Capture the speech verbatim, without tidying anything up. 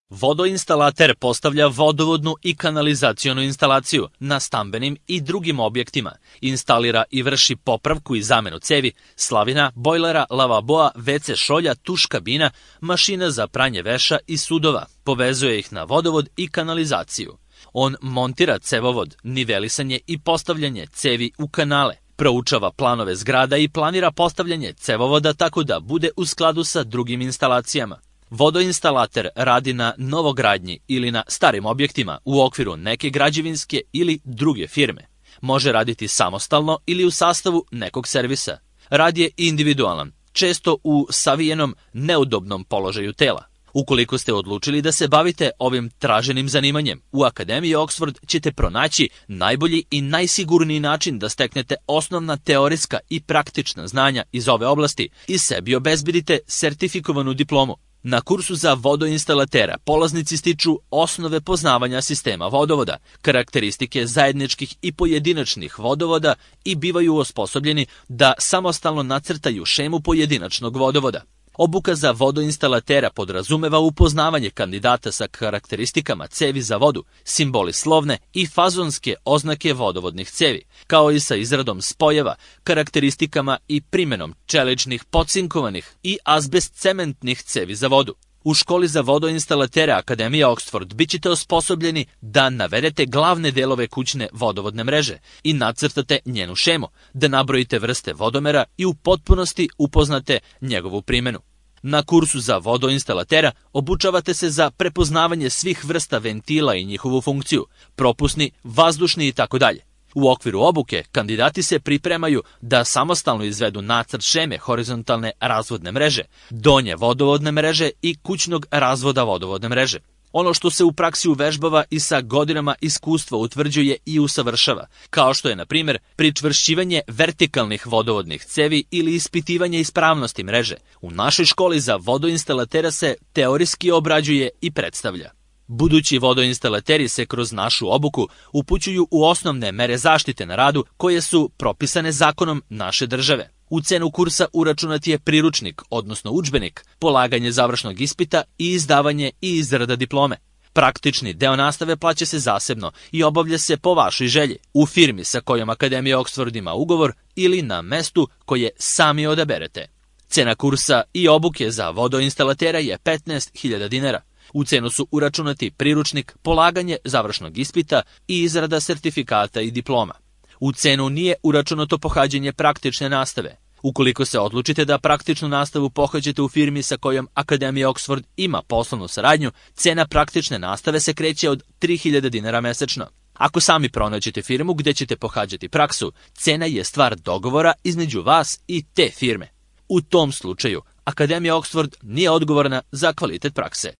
Vodoinstalater postavlja vodovodnu i kanalizacionu instalaciju na stambenim i drugim objektima, instalira i vrši popravku i zamenu cevi, slavina, bojlera, lavaboa, ve ce šolja, tuš kabina, mašina za pranje veša i sudova, povezuje ih na vodovod i kanalizaciju. On montira cevovod, nivelisanje i postavljanje cevi u kanale, proučava planove zgrada i planira postavljanje cevovoda tako da bude u skladu sa drugim instalacijama. Vodoinstalater radi na novogradnji ili na starim objektima u okviru neke građevinske ili druge firme. Može raditi samostalno ili u sastavu nekog servisa. Rad je individualan, često u savijenom, neudobnom položaju tela. Ukoliko ste odlučili da se bavite ovim traženim zanimanjem, u Akademiji Oxford ćete pronaći najbolji i najsigurniji način da steknete osnovna teorijska i praktična znanja iz ove oblasti i sebi obezbedite sertifikovanu diplomu. Na kursu za vodoinstalatera polaznici stiču osnove poznavanja sistema vodovoda, karakteristike zajedničkih i pojedinačnih vodovoda i bivaju osposobljeni da samostalno nacrtaju šemu pojedinačnog vodovoda. Obuka za vodoinstalatera podrazumeva upoznavanje kandidata sa karakteristikama cevi za vodu, simboli slovne i fazonske oznake vodovodnih cevi, kao i sa izradom spojeva, karakteristikama i primenom čeličnih, pocinkovanih i azbest-cementnih cevi za vodu. U školi za vodoinstalatera Akademija Oxford bit ćete osposobljeni da navedete glavne delove kućne vodovodne mreže i nacrtate njenu šemu, da nabrojite vrste vodomera i u potpunosti upoznate njegovu primenu. Na kursu za vodoinstalatera obučavate se za prepoznavanje svih vrsta ventila i njihovu funkciju, propusni, vazdušni itd. U okviru obuke kandidati se pripremaju da samostalno izvedu nacrt šeme horizontalne razvodne mreže, donje vodovodne mreže i kućnog razvoda vodovodne mreže. Ono što se u praksi uvežbava i sa godinama iskustva utvrđuje i usavršava, kao što je, na primjer, pričvršćivanje vertikalnih vodovodnih cevi ili ispitivanje ispravnosti mreže. U našoj školi za vodoinstalatera se teorijski obrađuje i predstavlja. Budući vodoinstalateri se kroz našu obuku upućuju u osnovne mere zaštite na radu koje su propisane zakonom naše države. U cenu kursa uračunat je priručnik, odnosno udžbenik, polaganje završnog ispita i izdavanje i izrada diplome. Praktični deo nastave plaća se zasebno i obavlja se po vašoj želji, u firmi sa kojom Akademija Oxford ima ugovor ili na mestu koje sami odaberete. Cena kursa i obuke za vodoinstalatera je petnaest hiljada dinara. U cenu su uračunati priručnik, polaganje završnog ispita i izrada sertifikata i diploma. U cenu nije uračunato pohađanje praktične nastave. Ukoliko se odlučite da praktičnu nastavu pohađate u firmi sa kojom Akademija Oxford ima poslovnu saradnju, cena praktične nastave se kreće od tri hiljade dinara mesečno. Ako sami pronađete firmu gde ćete pohađati praksu, cena je stvar dogovora između vas i te firme. U tom slučaju, Akademija Oxford nije odgovorna za kvalitet prakse.